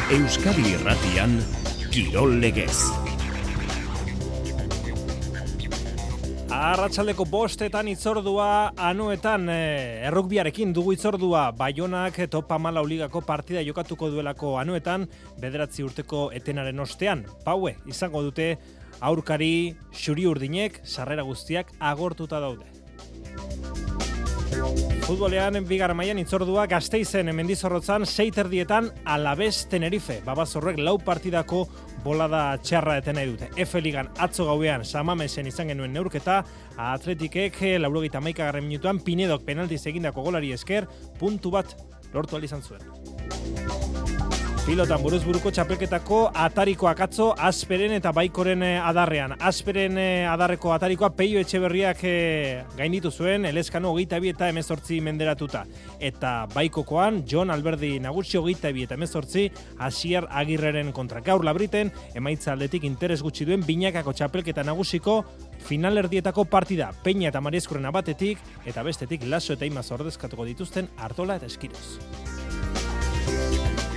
Euskadi Irratian, Kirol Legez. Arratsaldeko 5etan itzordua, Anoetan errukbiarekin dugu itzordua. Baionak Top 14 ligako partida jokatuko duelako Anoetan, 9 urteko etenaren ostean. Paue izango dute aurkari xuri-urdinek, sarrera guztiak agortuta daude. Futbolean, bigarren mailan itzordua Gasteizen Mendizorrotzan 6:30 Alavés Tenerife. Babazorrek 4 partidako bolada txarra eten nahi dute. F-ligan atzo gauean Samamesen izan genuen neurketa, Atletikek 91. minutuan Pinedok penaltiz egindako golari esker puntu bat lortu ahal izan zuen. Pilotan buruz-buruko txapelketako atarikoak atzo Asperen eta Baikoren adarrean. Asperen adarreko atarikoa Peio Etxeberriak gainditu zuen, Elezkano 22 eta 18 menderatuta. Eta Baikokoan Jon Alberdi nagusi 22 eta 18 Asier Agirreren kontra. Gaur Labriten emaitza aldetik interes gutxi duen binakako txapelketa nagusiko finalerdietako partida. Peña eta Marieskurren batetik eta bestetik Laso eta Imaz ordezkatuko dituzten Artola eta Eskiroz.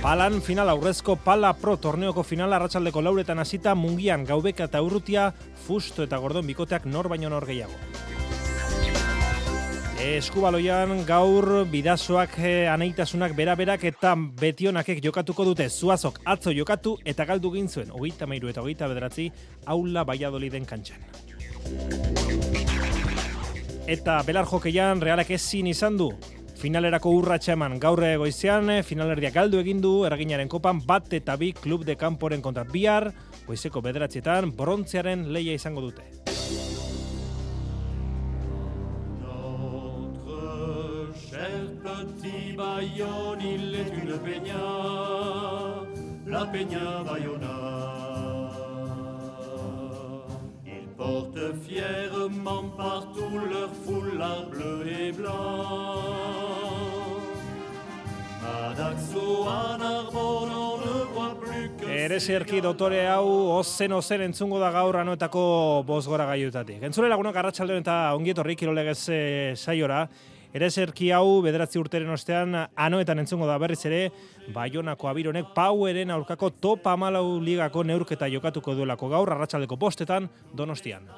Palan final aurrezko Pala Pro torneoko finala arratsaldeko 4etan hasita Mungian, Gaubeka eta Urrutia, Fusto eta Gordon bikoteak nor baino nor gehiago. Eskubaloian gaur bidazoak anaitasunak beraberak eta betionakek jokatuko dute. Zuazok atzo jokatu eta galdu egin zuen 33 eta 29 Aula Valladoliden kantxan. Eta belar jokeian Realak ezin izan du. Finalerako urratsa eman gaur goizean, finalerdia galdu egin du Erreginaren kopan 1 eta 2 Klub de Kanporen kontra. Bihar, goizeko 9etan brontzearen lehia izango dute. Notre cher petit Bayonne, il est une peña, la peña Bayona. Ils portent fièrement partout leur foulard bleu et blanc. Erezerki dotore hau ozen entzungo da gaur Anoetako bosgora gaiutatik. Entzule lagunak arratsaldeon eta ongietorri Kirol Legez saiora. Erezerki hau 9 urteren ostean Anoetan entzungo da berriz ere Baionako Abironek Paueren aurkako Top 14 ligako neurketa jokatuko duelako gaur arratsaldeko 5etan Donostian.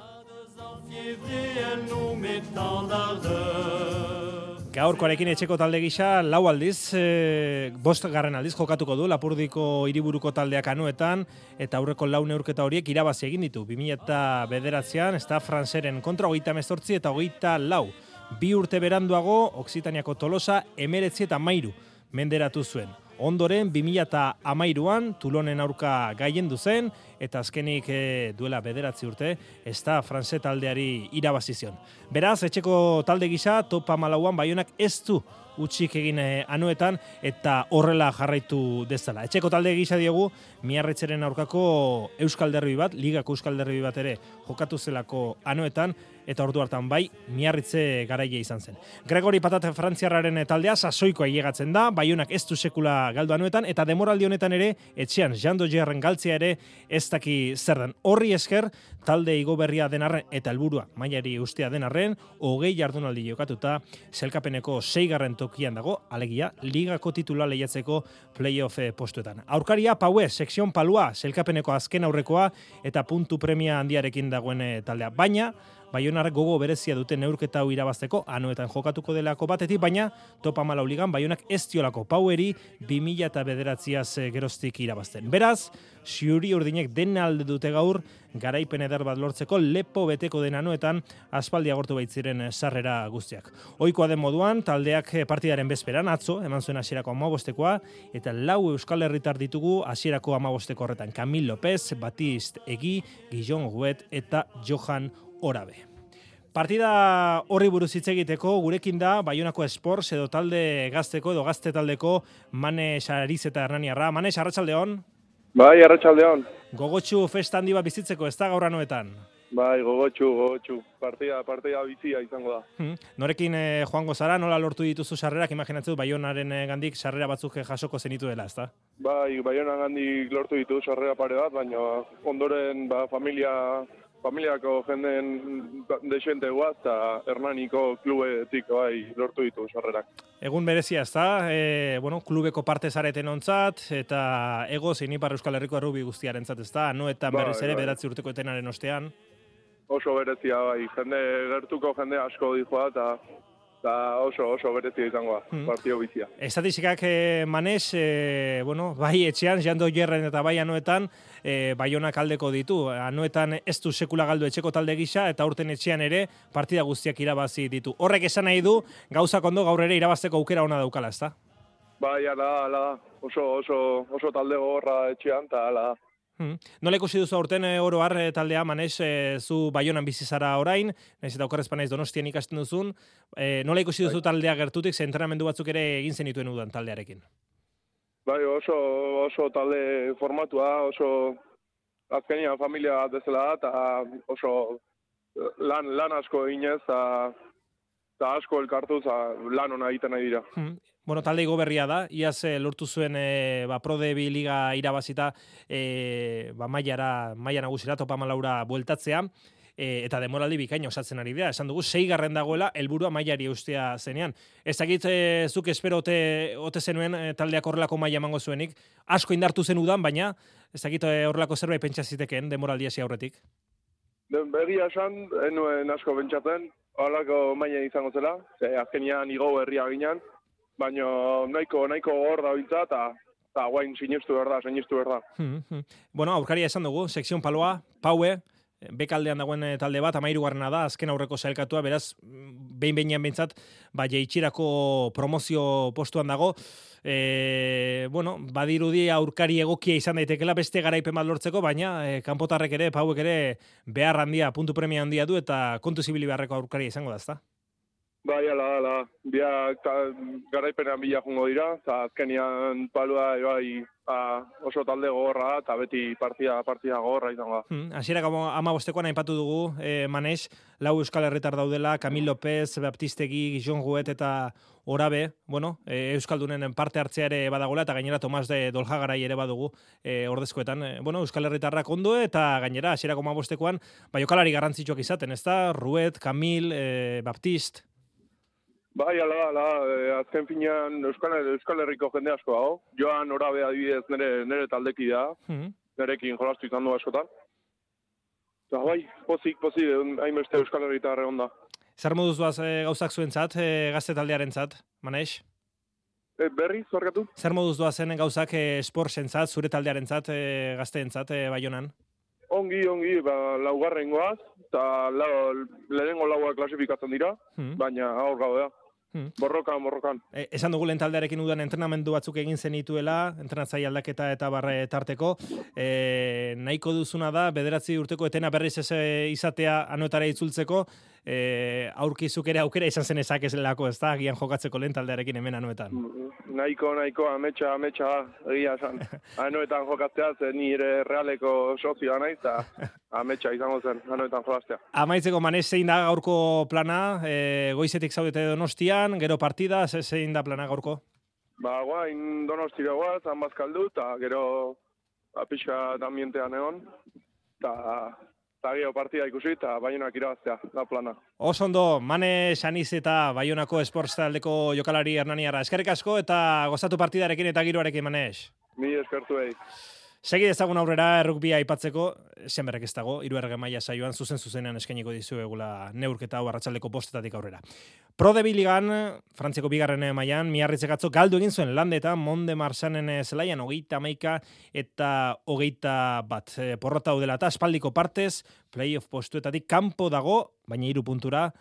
Gaurkoarekin etxeko talde gisa 4 aldiz, 5. aldiz jokatuko du Lapurdiko hiriburuko taldeak Anoetan eta aurreko 4 neurketa horiek irabazi egin ditu. 2009an Stade Franceren kontra 38 eta 24. 2 urte beranduago Oksitaniako Tolosa 19 eta 13 menderatu zuen. Ondoren 2013an Toulonen aurka gailendu zen eta azkenik duela 9 urte Stade Francés taldeari irabazi zion. Beraz, etxeko talde gisa Top 14an Baionak ez du utzik egin Anoetan eta horrela jarraitu dezala. Etxeko talde gisa diogu Miarritzeren aurkako Euskal Derbi bat, Ligako Euskal Derbi bat ere jokatu zelako Anoetan eta ordu hartan bai Miarritze garaile izan zen. Gregori Patate frantziarraren taldea sasoiko ailegatzen da, Baionak ez du sekula galdu Anoetan eta demoraldi honetan ere etxean Jean Dogerren galtzea ere ez daki zer den. Horri esker talde igoberria den arren eta helburua mailari ustea den arren 20 jardunaldi jokatuta sailkapeneko 6. tokian dago, alegia ligako titula lehiatzeko playoff postuetan. Aurkaria Paue, sekzion Palua, sailkapeneko azken aurrekoa eta puntu premia handiarekin dagoen taldea. Baina Baionar gogo berezia duten neurketa hau irabazteko Anoetan jokatuko delako batetik, baina Top 14 ligan Baionak ez diolako Paueri 2009az geroztik irabazten. Beraz, xuri-urdinek den alde dute gaur garaipen eder bat lortzeko lepo beteko den Anoetan aspaldi agortu baitziren sarrera guztiak. Ohikoa den moduan, taldeak partidaren bezperan atzo eman zuen hasierako 15koa eta 4 Euskal Herritar ditugu hasierako 15ko horretan. Camille López, Batiste Egi, Guillaume Huet eta Johan Orabe. Partida horri buruz hitz egiteko gurekin da Baionako Sports edo talde gazteko edo gazte taldeko Mane Sariz eta Hernaniarra. Mane, arratsaldeon. Bai, arratsaldeon. Gogotsu festa handi bat bizitzeko, ez da gaur Anoetan? Bai, gogotsu. Partida bizia izango da. Norekin joango zara, nola lortu dituzu sarrerak, imaginatzen Baionaren gandik sarrera batzuk jasoko zenitu dela, ez da? Bai, Baionan gandik lortu ditu sarrera pare bat, baina ondoren familia familiako jenden desente guaz, eta Hernaniko klubetik lortu ditu sarrerak. Egun berezia ez da, klubeko parte zareten ontzat, eta ego zein Ipar Euskal Herriko errubi guztiarentzat ez da, eta berriz ere 9 urteko etenaren ostean. Oso berezia, gertuko jende asko dijoa, eta oso berezia izangoa, partio bizia. Estatistikak Manes, bai etxean, Jando Jerren eta bai Anoetan, Baionak aldeko ditu. Anoetan ez du sekula galdu etxeko talde gisa, eta urten etxean ere partida guztiak irabazi ditu. Horrek esan nahi du, gauzak ondo gaur ere irabazteko aukera ona daukala, ezta? Bai, ala, oso talde gogorra etxean, eta ala. Nola ikusi duzu aurten oro har taldea, Manes, zu Baionan bizi zara orain, naiz eta okerrez panaiz Donostian ikasten duzun, nola ikusi duzu taldea gertutik, ze entrenamendu batzuk ere egin zenituen udan taldearekin? Bai, oso talde formatua, oso azkenian familia bat bezala da, eta oso lan asko eginez, eta asko elkartuz lan ona egiten nahi dira. Talde igo berria da, iaz lortu zuen Pro D2 Liga irabazita maila nagusira topa malaura bueltatzea, eta demoraldi bikaina osatzen ari dira. Esan dugu, 6. dagoela, helburua mailari eustea zenean. Ez dakit zuk espero ote zenuen taldeak horrelako maila emango zuenik, asko indartu zen udan, baina ez dakit horrelako zerbait pentsa zitekeen demoraldi hasi aurretik. Begia esan, enuen asko pentsatzen, horrelako maila izango zela, azkenian igo herria ginen, baina nahiko hor da bintza, eta guain sinistu behar da. Aurkaria esan dugu, sekzion paloa, Paue, bekaldean dagoen talde bat, 13. da, azken aurreko sailkatua, beraz, behin-behinean bintzat, jaitsirako promozio postuan dago. Badirudi aurkari egokia izan daitekela beste garaipen bat lortzeko, baina kanpotarrek ere, Pauek ere, behar handia, puntu premia handia du, eta kontu zibili beharreko aurkaria izango da, ezta? Bai, ala, biak garaipenean bila jungo dira, eta azkenian palua oso talde gogorra, eta beti partida gogorra izango da. Hasierak 15koan aipatu dugu, Manes, 4 Euskal Herritar daudela, Kamil López, Baptistegi, Jon Guet eta Orabe, Euskaldunen parte hartzea ere badagola, eta gainera Tomas de Doljagarai ere badugu ordezkoetan. Euskal Herritarrak ondo, eta gainera hasierako 15koan, jokalari garrantzitsuak izaten, ezta? Ruet, Kamil, Baptist. Bai, ala, azken finean Euskal Herriko jende asko dago. Joan Orabe adibidez nire taldeki da, nirekin jolastu izan du askotan. Eta bai, pozik, hainbeste Euskal Herritar egon da. Zer moduz doaz gauzak zuentzat, gazte taldearentzat, Manes? Berriz, zorgatu? Zer moduz doazen gauzak sportsentzat, zure taldearentzat, gazteentzat, Baionan? Ongi, laugarrengoaz, eta lehenengo laua klasifikatzen dira, baina aur gaudea. Borrokan. Esan dugu lehen taldearekin udan entrenamendu batzuk egin zenituela, entrenatzaile aldaketa eta barre tarteko. Nahiko duzuna da, 9 urteko etena berriz ez izatea Anoetara itzultzeko, aurkizuk ere aukera izan zen ezakezelako, ez da, agian jokatzeko lehen taldearekin hemen Anoetan. Nahiko, ametsa, egia esan. Anoetan jokatzea, zen nire realeko sozioa naiz, eta ametsa izango zen Anoetan jolaztea. Amaitzeko, Manes, zein da gaurko plana? Goizetik zaudete Donostian, gero partida, zein da plana gaurko? Guain Donostira guaz, Ambazkaldu, eta gero pixka ambientean egon, eta gero partida ikusi, eta Baionak irabaztea, da plana. Osondo, Manes Aniz eta Baionako esports taldeko jokalari Hernaniarra. Eskerrik asko eta gozatu partidarekin eta giroarekin, Manes. Mi eskertu egin. Segi dezagun aurrera errugbia aipatzeko, zenberrek ez dago, 3. maila saioan zuzenean eskainiko dizu egula neurketa hau arratsaldeko 5 aurrera. Pro D2 Ligan, Frantziako 2. mailan, Miarritzek atzo galdu egin zuen Landeta, Monde Marsanen zelaian 31 eta 21. Porrota hau dela eta aspaldiko partez, playoff postuetatik kanpo dago, baina 3 puntura,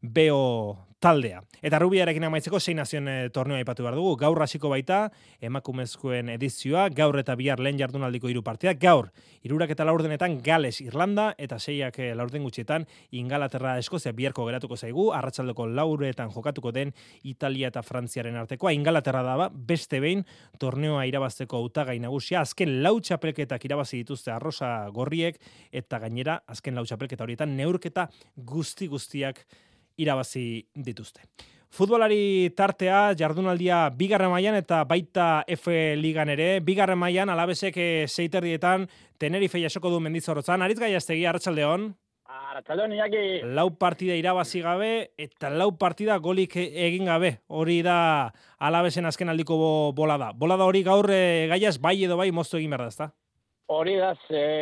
Beo taldea. Eta rubiarekin amaitzeko 6 nazioen torneoa aipatu behar dugu. Gaur hasiko baita, emakumezkoen edizioa, gaur eta bihar lehen jardunaldiko 3 partidak. Gaur, 3 eta 4 Gales, Irlanda, eta 6 4 gutxietan Ingalaterra, Eskozia biharko geratuko zaigu, arratsaldeko 4 jokatuko den Italia eta Frantziaren artekoa. Ingalaterra da beste behin torneoa irabazteko hautagai nagusia, azken 4 txapelketak irabazi dituzte arrosa gorriek, eta gainera, azken 4 txapelketa horietan neurketa guztiak irabazi dituzte. Futbolari tartea, jardunaldia 2. mailan eta baita F Ligan ere. 2. mailan Alabesek 6:30 Tenerife jasoko du Mendizorrotzan. Aritz Gaiaztegi, arratsaldeon. Arratsaldeon Iñaki. 4 partida irabazi gabe eta 4 partida golik egin gabe. Hori da Alavesen azken aldiko bolada. Bolada hori gaur gaiaz bai edo bai moztu egin behar da, ezta? Hori da,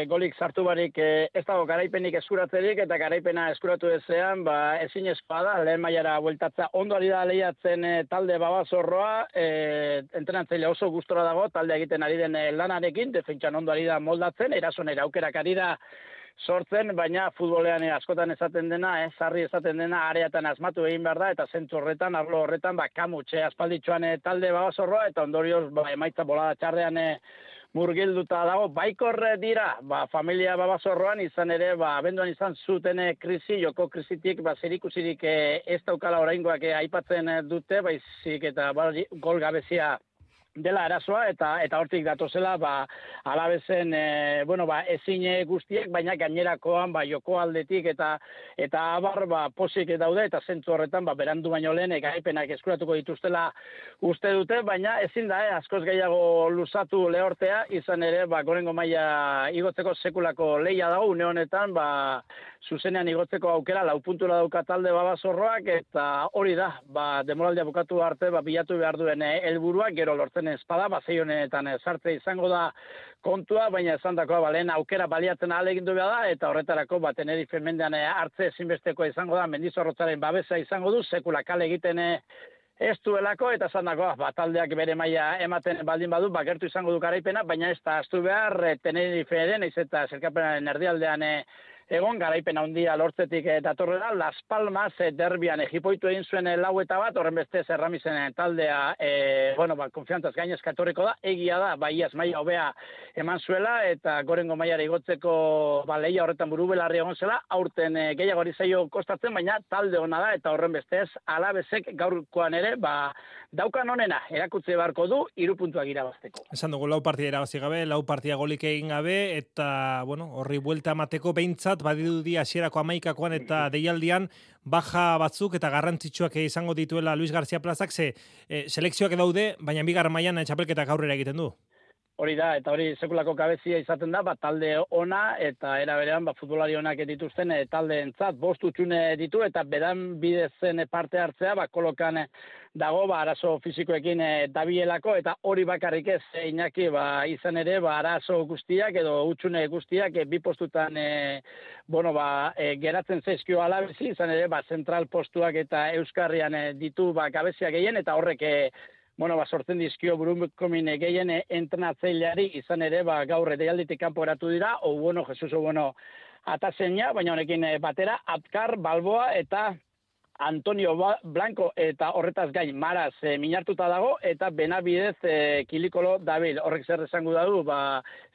golik sartu barik ez dago garaipenik eskuratzerik eta garaipena eskuratu ezean, ezinezkoa da, lehen mailara bueltatza. Ondo ari da lehiatzen talde Babasorroa, entrenatzaile oso gustora dago, talde egiten ari den lanarekin, defentsan ondo ari da moldatzen, erasonera aukerak ari da sortzen, baina futbolean askotan esaten dena, sarri esaten dena, areatan asmatu egin behar da, eta zentzu horretan, arlo horretan, kamutxe aspalditxoan talde Babasorroa, eta ondorioz emaitza bolada txarrean murgilduta dago, baikor dira, familia Babasorroan izan ere, abenduan izan zuten krisi, joko krisitik, zerikusirik ez daukala oraingoak aipatzen dute, baizik eta gol gabezia dela arazoa, eta hortik datozela, Alavesen, ezin guztiek, baina gainerakoan, joko aldetik, eta abar, posik daude, eta zentzu horretan, berandu baino lehen, garaipenak eskuratuko dituztela uste dute, baina ezin da, askoz gehiago luzatu lehortea, izan ere, gorengo maila igotzeko sekulako lehia dago, une honetan, zuzenean igotzeko aukera, 4 puntura dauka talde Babasorroak, eta hori da, demoraldia bukatu arte, bilatu behar duen helburua, gero lortzen espada, zei honetan sartze izango da kontua, baina esan dakoa, lehen aukera baliatzen ahalegindu behar da, eta horretarako, Tenerife mendean hartze ezinbesteko izango da, Mendizorrotzaren babesa izango du, sekula kale egiten ez duelako, eta esan dakoa, taldeak bere maila ematen baldin badu, gertu izango du garaipena, baina ez da astu behar, Tenerife eren, ez eta zerkapenaren erdialdean egon, garaipen handia lortzetik datorrela, Las Palmas derbian jipoitu egin zuen 4-1, horren bestez Erramisen taldea, konfiantzaz gainezka etorriko da, egia da, iaz maila hobea eman zuela, eta gorengo mailara igotzeko lehia horretan burubelarri egon zela, aurten gehiago hori zaio kostatzen, baina talde hona da, eta horren bestez Alavesek gaurkoan ere, daukan honena, erakutze beharko du, 3 puntuak irabazteko. Esan dugu 4 partida irabazi gabe, 4 partida golik egin gabe, eta, horri buelta emateko behintzat, badirudi hasierako 11koan eta deialdian baja batzuk eta garrantzitsuak izango dituela Luis García Plazak, selekzioak daude, baina bigarren mailan txapelketak aurrera egiten du. Hori da, eta hori sekulako kabezia izaten da, talde ona eta era berean futbolari onak dituzten taldeentzat 5 utxune ditu eta beran bidezen parte hartzea kolokan dago arazo fisikoekin dabielako eta hori bakarrik ez Iñaki izan ere arazo guztiak edo utxune guztiak bi postutan geratzen zaizkio Alavesi, izan ere zentral postuak eta Euskarrian ditu kabezia gehien eta horrek sortzen dizkio burukomin gehien entrenatzaileari izan ere gaur deialditik kanpo geratu dira, Jesus atazeina, baina honekin batera Apkar, Balboa eta Antonio Blanco eta horretaz gain Maraz minartuta dago eta Benabidez Kilikolo dabil. Horrek zer esango du,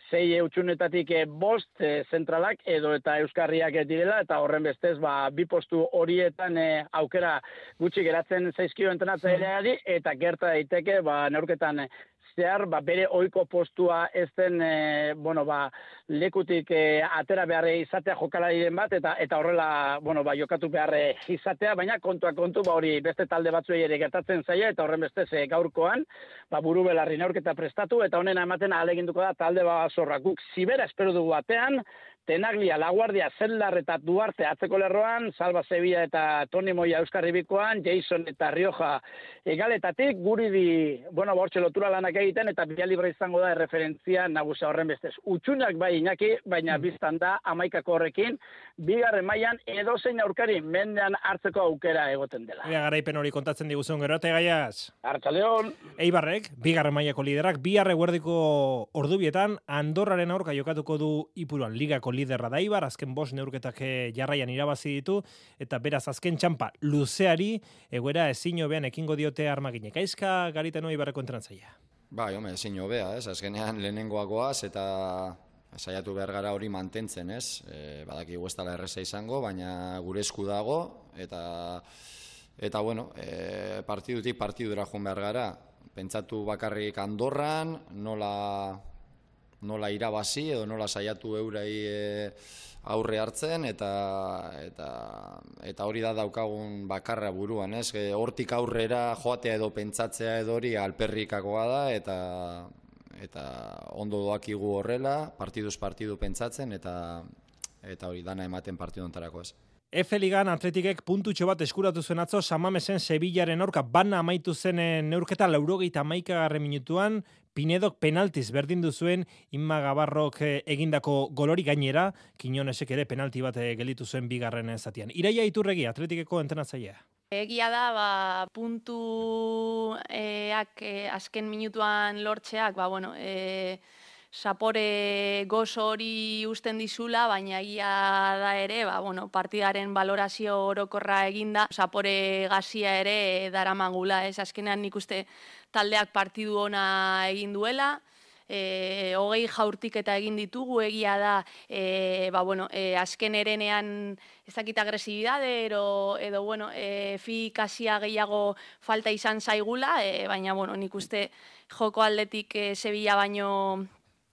6 utxunetatik 5 zentralak edo eta Euskarriak direla eta horren bestez 2 postu horietan aukera gutxi geratzen zaizkio entrenatzaileari eta gerta daiteke neurketan zehar bere ohiko postua ez den lekutik atera behar izatea jokalariren bat eta horrela jokatu behar izatea, baina kontua kontu hori beste talde batzuei ere gertatzen zaia eta horren bestez gaurkoan burubelarri neurketa prestatu eta honena ematen ahaleginduko da talde Babasorroa. Guk zibera espero dugu batean, Tenaglia, Laguardia, Zeldar eta Duarte atzeko lerroan, Salva Sevilla eta Toni Moya Euskarribikoan, Jason eta Rioja egaletatik, guri bortxe lotura lanak egiten eta bia libre izango da referentzia nagusia horren bestez. Utxunak Iñaki, baina biztan da 11ko horrekin, bigarren mailan edozein aurkari mendean hartzeko aukera egoten dela. Garaipen hori kontatzen diguzun gero, eta gaiaz. Arratsaldeon. Eibarrek, bigarren mailako liderak, bihar eguerdiko ordubietan, Andorraren aurka jokatuko du Ipuruan ligako liderra da Eibar, azken 5 neurketak jarraian irabazi ditu, eta beraz azken txampa luzeari, egoera ezin hobean ekingo diote armaginek. Aizka Garitano Eibarreko entrenatzailea. Ezin hobea, azkenean lehenengoagoaz eta saiatu behar gara hori mantentzen, badaki ez erreza izango, baina gure esku dago, eta partidutik partidura joan behar gara. Pentsatu bakarrik Andorran, nola irabazi edo nola saiatu eurei aurre hartzen eta hori da daukagun bakarra buruan, hortik aurrera joatea edo pentsatzea edo hori alperrikakoa da eta ondo doakigu horrela, partiduz partidu pentsatzen eta eta hori dana ematen partidu hontarako ez. F-Ligan Atletikek puntutxo bat eskuratu zuen atzo San Mamesen Sevillaren aurka bana amaitu zen neurketa 81. minutuan Pinedok penaltiz berdindu zuen Inma Gabarrok egindako golori gainera Quiñonesek ere penalti bat gelditu zuen bigarren zatian. Iraia Iturregi Atletikeko entrenatzailea. Egia da, puntuak azken minutuan lortzeak, sapore gozo hori usten dizula, baina egia da ere, partidaren valorazio orokorra eginda, sapore gazia ere daramagula, ez azkenean nik uste taldeak partidu ona egin duela, 20 jaurtiketa egin ditugu, egia da, azken erenean ez dakit agresibidade edo efikazia gehiago falta izan zaigula, baina nik uste joko aldetik Sevilla baino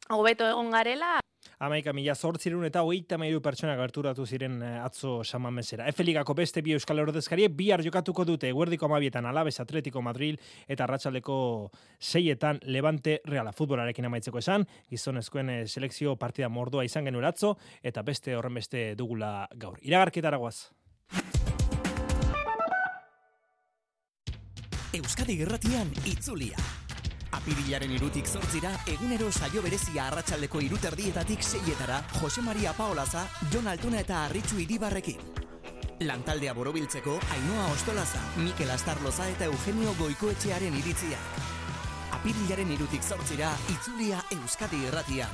hobeto egon garela. 11.833 pertsona gerturatu ziren atzo San Mamesera. F-Ligako beste bi euskal ordezkariek bihar jokatuko dute eguerdiko 12etan Alaves Atletico Madrid eta arratsaldeko 6etan Levante Reala. Futbolarekin amaitzeko esan, gizonezkoen selekzio partida mordoa izan genuen atzo eta beste horren beste dugula gaur. Iragarketara goaz. Euskadi Irratian itzulia. Apirilaren 2tik 8 egunero saio berezia arratsaldeko 3:30 6etara Jose Maria Paolaza, Jon Altuna eta Arritxu Iribarrekin. Lantaldea borobiltzeko Ainhoa Ostolaza, Mikel Astarloza eta Eugenio Goikoetxearen iritziak. Apirilaren 2tik 8 itzulia Euskadi Irratian.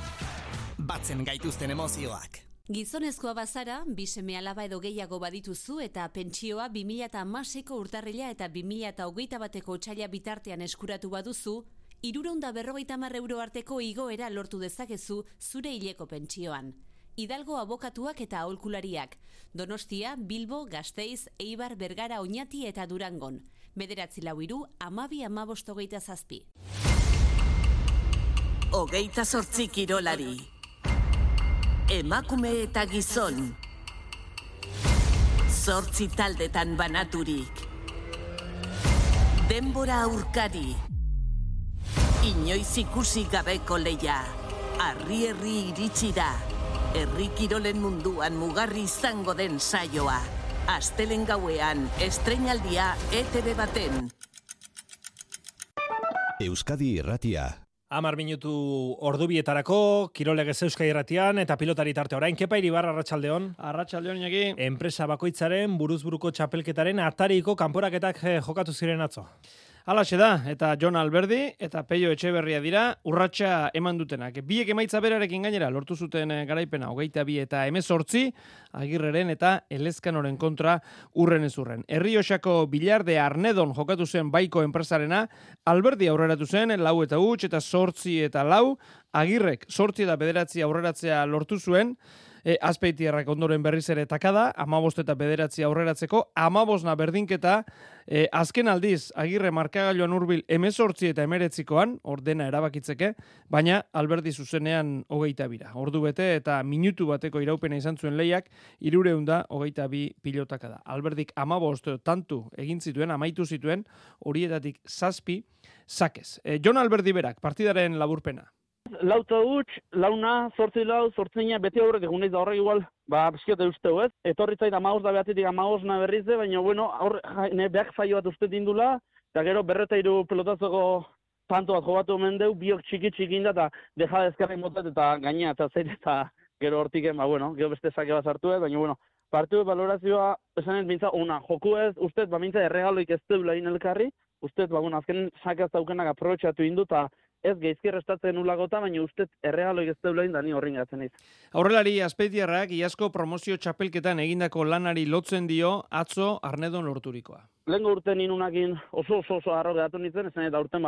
Batzen gaituzten emozioak. Gizonezkoa bazara, 2 seme-alaba edo gehiago badituzu eta pentsioa 2016ko urtarrila eta 2021ko otsaila bitartean eskuratu baduzu, 350 euro arteko igoera lortu dezakezu zure hileko pentsioan. Hidalgo abokatuak eta aholkulariak. Donostia, Bilbo, Gasteiz, Eibar, Bergara, Oñati eta Durangon. 943 12 15 27. 28 kirolari. Emakume eta gizon. 8 taldetan banaturik. Denbora aurkari. Inoiz ikusi gabeko leia. Herri iritsi da. Herri kirolen munduan mugarri izango den saioa. Astelen gauean, estreinaldia ETV baten. Euskadi Irratia. 10 minutu ordubietarako, Kirolegez Euskadi Irratian eta pilotari tarte orain. Kepa Iribar, arratsaldeon. Arratsaldeon, Iñaki. Enpresa bakoitzaren buruzburuko txapelketaren atariko kanporaketak jokatu ziren atzo. Halaxe da, eta Jon Alberdi eta Peio Etxeberria dira urratsa eman dutenak. Biek emaitza berarekin gainera lortu zuten garaipena 22 eta 18, Agirreren eta Elezkanoren kontra urren ez urren. Errioxako Bilarde Arnedon jokatu zen baiko enpresarena, Alberdi aurreratu zen 4 eta 8 eta 8 eta 4, Agirrek 8 eta 9 aurreratzea lortu zuen, Azpeitiarrak ondoren berriz ere takada, 15 eta 9 aurreratzeko, 15 berdinketa, azken aldiz, Agirre markagailuan hurbil 18 eta 19koan, ordena erabakitzeke, baina Alberdi zuzenean 22. Ordu bete eta minutu bateko iraupena izan zuen lehiak, 322 pilotaka da. Alberdik 15 tantu egin zituen, amaitu zituen, horietatik 7 sakez. Jon Alberdi berak, partidaren laburpena. 4-4, 8-4, beti aurrek egun da horrek igual, bizkiote usteu ez. Etorri zait 15 da behatetik 15 berriz de, baina behak faio bat uste dindula, eta gero 203 pelotazoko tanto bat jobatu omen deu, biok txiki inda, eta deja dezkarrik motat eta gaina eta zeit, eta gero hortiken, gero beste sake bat sartu ez, baina partidu valorazioa, esanet bintza, joku ez, ustez, bintza erregaloik ez deula inelkarri, ustez, azken sake ez daukenak aprobetxatu indu, eta ez geizki restatzen ulagota, baina ustez erregaloik ez deula indani horrin gatzen iz. Aurrelari Azpeitiarrak iazko promozio txapelketan egindako lanari lotzen dio atzo Arnedon lorturikoa. Lehenko urten inunakin oso harro geratu nintzen, esan eta urten,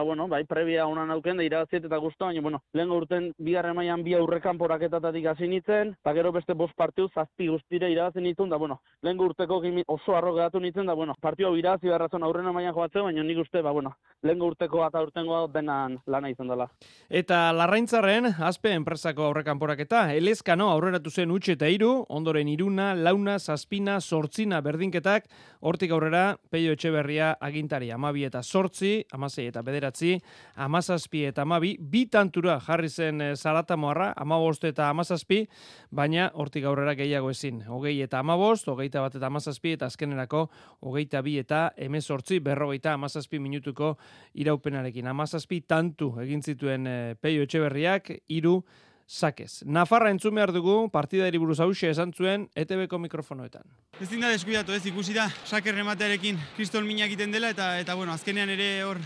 prebia honan auken, da irabaziet eta guztu, baina, lehenko urten bigarren mailan bi aurrekan poraketatatik hasi nintzen, eta gero beste 5 partidu, 7 guztire irabazi nintzen, da, lehenko urteko oso harro geratu nintzen, da, partidu hau irabazi beharrazon aurrena mailan joatzen, baina nik uste, lehenko urteko eta urtengoa denan lana izan dela. Eta Larraintzarren, Azpe enpresako aurrekan poraketa, Elezkano aurreratu zen 8 eta 3, ondoren 3, 4, 7, 8 berdinketak, hortik aurrera, Peio Etxeberria agintari 12 eta 8, 16 eta 9, 17 eta 12, bi tantura jarri zen Zaratamoarra, 15 eta 17, baina hortik aurrera gehiago ezin. 20 eta 15, 21 eta 17, eta azkenerako 22 eta 18, 50 minutuko iraupenarekin. 17 tantu egin zituen Peio Etxeberriak, 3 sakez. Nafarra entzun behar dugu, partidari buruz hauxe esan zuen, ETB-ko mikrofonoetan. Ezin da deskuidatu, ikusi da, saker rematearekin kristol mina egiten dela, eta bueno, azkenean ere hor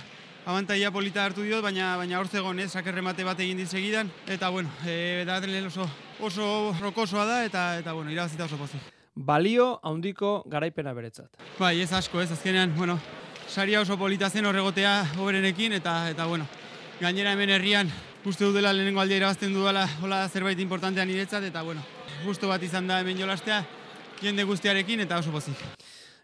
abantaia polita hartu diot, baina hor zegoen, saker remate bat egin dit segidan, eta bueno, daten oso rokosoa da, eta bueno, irabazita oso pozik. Balio handiko garaipena beretzat. Bai, ez asko, azkenean, bueno, saria oso polita zen horregotea hoberenekin, eta bueno, gainera hemen herrian, uste dut dela lehenengo aldea irabazten dudala hola zerbait importantea niretzat, eta bueno, gustu bat izan da hemen jolastea, jende guztiarekin eta oso pozik.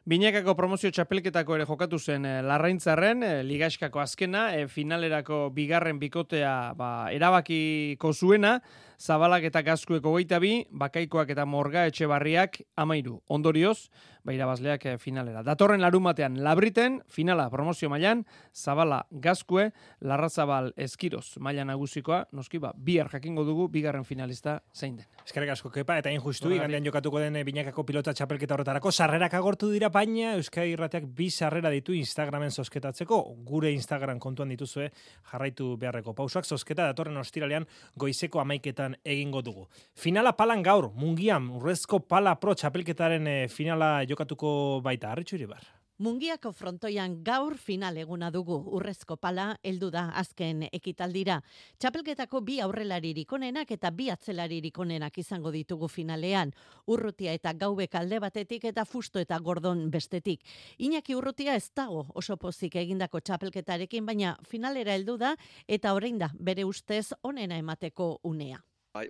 Binakako promozio txapelketako ere jokatu zen Larraintzarren, ligaskako azkena, finalerako bigarren bikotea erabakiko zuena, Zabalak eta Gazkuek 22, Bakaikoak eta Morga Etxebarriak 13. Ondorioz, irabazleak finalera. Datorren larumatean Labriten, finala promozio mailan, Zabala Gazkue, Larrazabal Eskiroz maila nagusikoa, noski bihar jakingo dugu bigarren finalista zein den. Eskerrik asko Kepa, eta injustu, igandean jokatuko den Binakako pilota txapelketa horretarako, sarrerak agortu dira, baina Euskadi Irratiak 2 sarrera ditu Instagramen zozketatzeko, gure Instagram kontuan dituzue jarraitu beharreko pausoak, zozketa datorren ostiralean goizeko 11etan egingo dugu. Finala palan gaur, Mungian, Urrezko Pala Pro txapelketaren finala jokatuko baita, Arritxu Iribar. Mungiako frontoian gaur final eguna dugu. Urrezko Pala heldu da azken ekitaldira. Txapelketako 2 aurrelaririk onenak eta 2 atzelaririk onenak izango ditugu finalean. Urrutia eta Gaubek alde batetik eta Fusto eta Gordon bestetik. Iñaki Urrutia ez dago oso pozik egindako txapelketarekin, baina finalera heldu da eta orain da bere ustez onena emateko unea.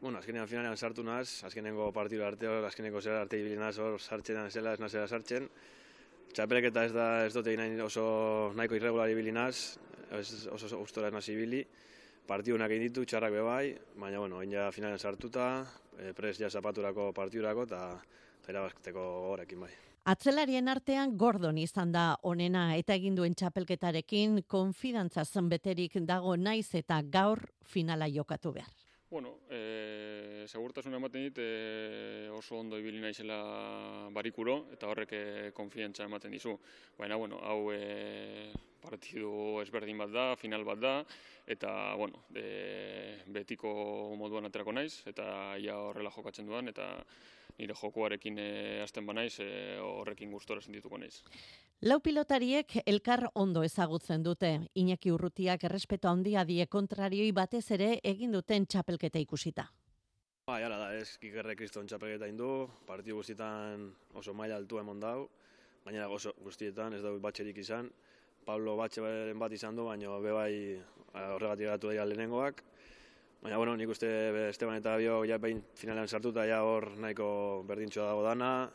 Bueno, azkenean finalean sartu naz, azkenengo partidu arteo, azkenengo zera arte ibilinaz hor sartxenan zela, ez nazera sartzen. Txapelketa ez dut egin oso nahiko irregular ibilinaz, oso gustora ez nazi ibili. Partidunak egin ditu, txarrak bebai, baina bueno, egin ja finalean sartuta, prest ja zapaturako partidurako eta irabazteko gogorekin bai. Atzelarien artean Gordon izan da onena eta egin duen txapelketarekin konfidantzaz beterik dago naiz eta gaur finala jokatu behar. Bueno, segurtasuna ematen dit oso ondo ibili naizela barikuro eta horrek konfiantza ematen dizu. Baina, bueno, hau partidu ezberdin bat da, final bat da, eta, bueno, betiko moduan aterako naiz, eta ia horrela jokatzen duan, eta nire jokuarekin hasten banaiz, horrekin gustora sentituko naiz. Lau pilotariek elkar ondo ezagutzen dute. Iñaki Urrutiak errespeto handia die kontrarioi batez ere egin duten txapelketa ikusita. Hala da, Kikerre Kriston txapelketa indu, partidu guztietan oso maila altua emon dau, baina oso guztietan ez dau batxerik izan. Pablo batxeren bat izan du, baina bebai horregatik gatu dira lehenengoak. Baina, bueno, nik uste Esteban eta Bio behin finalean sartuta hor nahiko berdintxoa dago dana,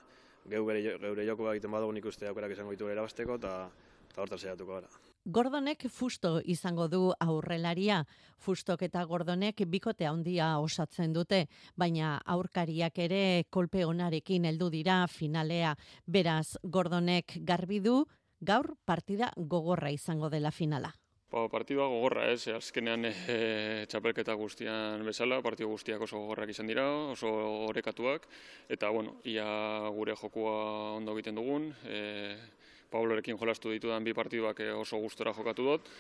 geure joko egiten badugu nik uste aukerak izango ditu erabasteko eta hortan saiatuko gara. Gordonek Fusto izango du aurrelaria. Fustok eta Gordonek bikote handia osatzen dute, baina aurkariak ere kolpe onarekin heldu dira finalea. Beraz, Gordonek garbi du gaur partida gogorra izango dela finala. Partidua gogorra, azkenean txapelketa guztian bezala, partidu guztiak oso gogorrak izan dira, oso orekatuak, eta bueno, ia gure jokua ondo egiten dugun, Pablorekin jolastu ditudan 2 partiduak oso gustora jokatu dut,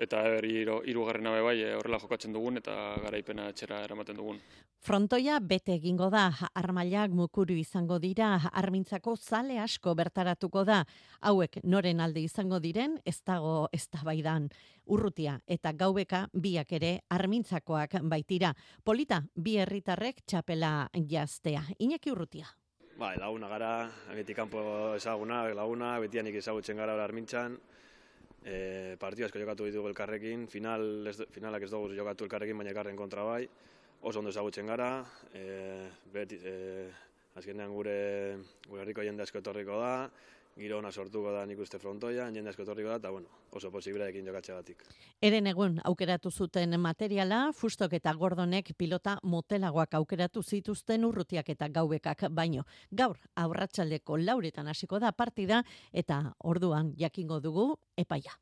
eta hirugarrena bai horrela jokatzen dugun eta garaipena etxera eramaten dugun. Frontoia bete egingo da, armailak mukuru izango dira, armintzako zale asko bertaratuko da. Hauek noren alde izango diren, ez dago eztabaidan. Urrutia eta Gaubeka biak ere armintzakoak baitira. Polita, 2 herritarrek txapela jaztea. Iñaki Urrutia. Bai, laguna gara, beti kanpo ezaguna, laguna, betianik ezagutzen gara armintzan. Partidu asko jokatu ditugu elkarrekin, finalak ez dugu jokatu elkarrekin, baina elkarren kontra bai. Oso ondo ezagutzen gara, azkenean gure herriko jende asko etorriko da, giro ona sortuko da nik uste frontoian, jende asko etorriko da, eta bueno, oso posibleekin jokatzeagatik. Eren egun aukeratu zuten materiala, Fustok eta Gordonek pilota motelagoak aukeratu zituzten Urrutiak eta Gaubekak baino. Gaur arratsaldeko 4:00 hasiko da partida eta orduan jakingo dugu epaia.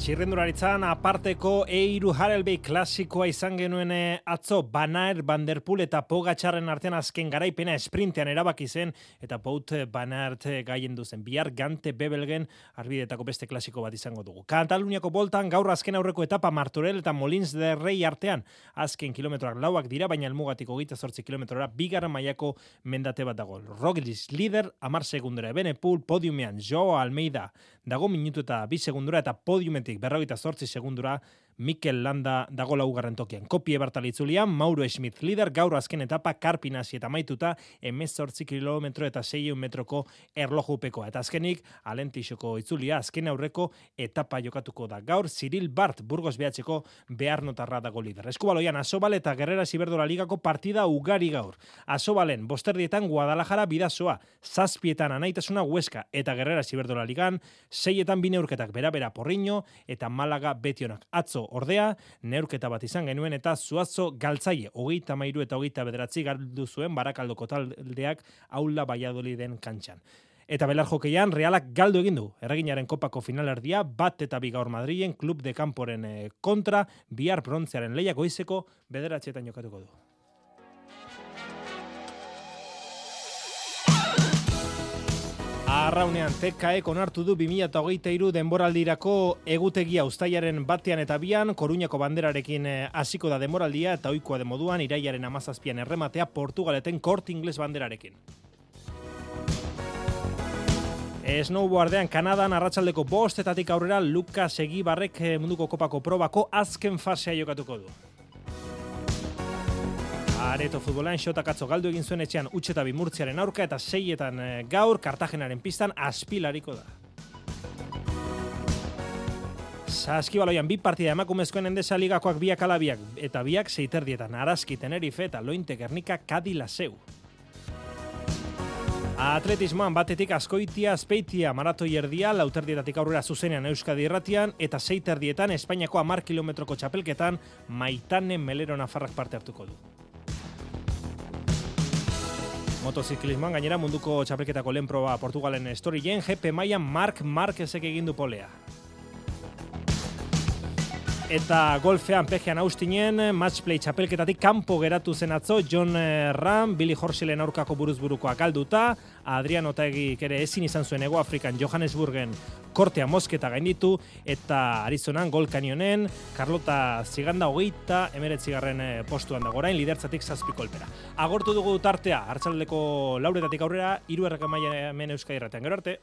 Txirrendularitzan aparteko E3 Harelbei klasikoa izan genuen atzo Banaer, Van der Poel eta Pogačarren artean azken garaipena esprintean erabaki zen eta Pout Banaert gaien duzen. Bihar Gante Bebelgen arbidetako beste klasiko bat izango dugu. Kataluniako boltan gaur azken aurreko etapa Martorell eta Molins de Rey artean azken kilometroak 4 dira, baina helmugatik 28 kilometrora bigarren mailako mendate bat dago. Roglic lider 10 segundora, Evenepoel podiumean, Joao Almeida dago minutu eta 2 segundura eta podiumetik 48 segundura Mikel Landa dago 4. tokian. Kopie Bartalitzulian, Mauro Schmidt lider, gaur azken etapa Karpinasi eta maituta 18 kilometro eta 600 metroko erlojupekoa. Eta azkenik, Alentixoko itzulia azken aurreko etapa jokatuko da. Gaur, Cyril Bart, Burgos behatzeko behar notarra dago lider. Eskubaloian, Asobal eta Gerrera Iberdrola ligako partida ugari gaur. Asobalen, bosterdietan Guadalajara bidazoa, 7etan Anaitasuna Huesca eta Gerrera Iberdrola ligan, 6etan bineurketak bera Porriño eta Malaga Betionak. Atzo ordea, neurketa bat izan genuen eta Zuazo galtzaile, 33 eta 29 galdu zuen Barakaldoko taldeak Aula Valladoliden kantxan. Eta belar jokeian, Realak galdu egin du. Erreginaren kopako finalerdia, 1-2 gaur Madrilen, Klub de Camporen kontra, bihar brontzearen lehiak goizeko 9:00 jokatuko du. Arraunean, TKEk onartu du 2023 denboraldirako egutegia uztailaren 1 eta 2, Koruñako banderarekin hasiko da denboraldia eta ohikoa den moduan irailaren 17an errematea Portugaleten Corte Inglés banderarekin. Snowboardean Kanadan arratsaldeko 5:00 aurrera Lukas Egibarrek munduko kopako probako azken fasea jokatuko du. Areto futbolan Xotak atzo galdu egin zuen etxean Utxetabi Murtziaren aurka eta 6etan gaur Kartagenaren pistan Aspilariko da. Saskibaloian 2 partida emakumezkoen Endesa ligakoak 2-2 eta 2 6:30 Araski Tenerife eta Lointe Gernika Kadi Laseu. Atletismoan batetik Azkoitia Azpeitia maratoi erdia 4:00 aurrera zuzenean Euskadi Irratian eta 6:30 Espainiako 10 kilometroko txapelketan Maitane Melero Nafarrak parte hartuko du. Motoziklismoan gainera munduko txapelketako lehen proba Portugalen Storien GP mailan Marc Marquezek egin du polea. Eta golfean pejean Austinen matchplay txapelketatik kanpo geratu zen atzo John Ram, Billy Horselen aurkako buruzburukoak galduta, Adrian Otaegik ere ezin izan zuen Hego Afrikan Johannesburgen kortea mosketa gainditu, eta Arizonan Gold Canyonen Carlota Ziganda 39. postuan dago orain, lidertzatik 7 kolpera. Agortu dugu tartea, arratsaldeko 4:00 aurrera, 3 hemen Euskadi Irratian. Gero arte.